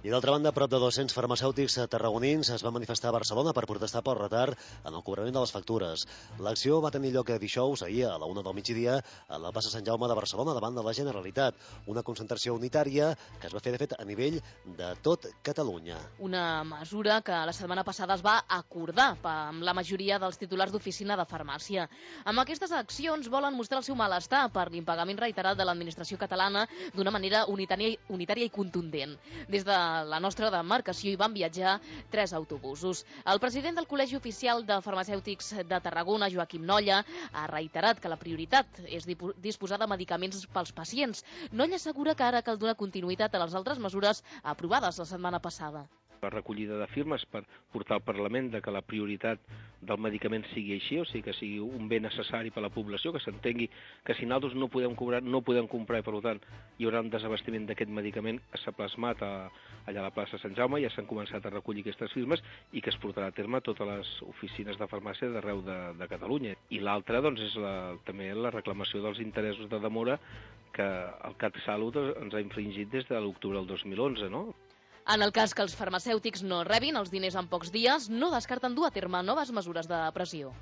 I d'altra banda, prop de 200 farmacèutics tarragonins es van manifestar a Barcelona per protestar pel retard en el cobrament de les factures. L'acció va tenir lloc dijous, ahir, a la 1 del migdia, a la plaça Sant Jaume de Barcelona, davant de la Generalitat. Una concentració unitària que es va fer, de fet, a nivell de tot Catalunya. Una mesura que la setmana passada es va acordar amb la majoria dels titulars d'oficina de farmàcia. Amb aquestes accions volen mostrar el seu malestar per l'impagament reiterat de l'administració catalana d'una manera unitària i contundent. Des de la nostra demarcació hi van viatjar 3 autobusos. El president del Col·legi Oficial de Farmacèutics de Tarragona, Joaquim Nolla, ha reiterat que la prioritat és disposar de medicaments pels pacients. Nolla assegura que ara cal donar continuïtat a les altres mesures aprovades la setmana passada. La recollida de firmes per portar al Parlament de que la prioritat del medicament sigui així, o sigui que sigui un bé necessari per a la població, que s'entengui que si nosaltres no podem comprar i per tant hi haurà un desabastiment d'aquest medicament que s'ha plasmat allà a la plaça Sant Jaume, ja s'han començat a recollir aquestes firmes i que es portarà a terme a totes les oficines de farmàcia d'arreu de Catalunya. I l'altra doncs, és també la reclamació dels interessos de demora que el CatSalut ens ha infringit des de l'octubre del 2011, no? En el cas que els farmacèutics no rebin els diners en pocs dies, no descarten dur a terme noves mesures de pressió.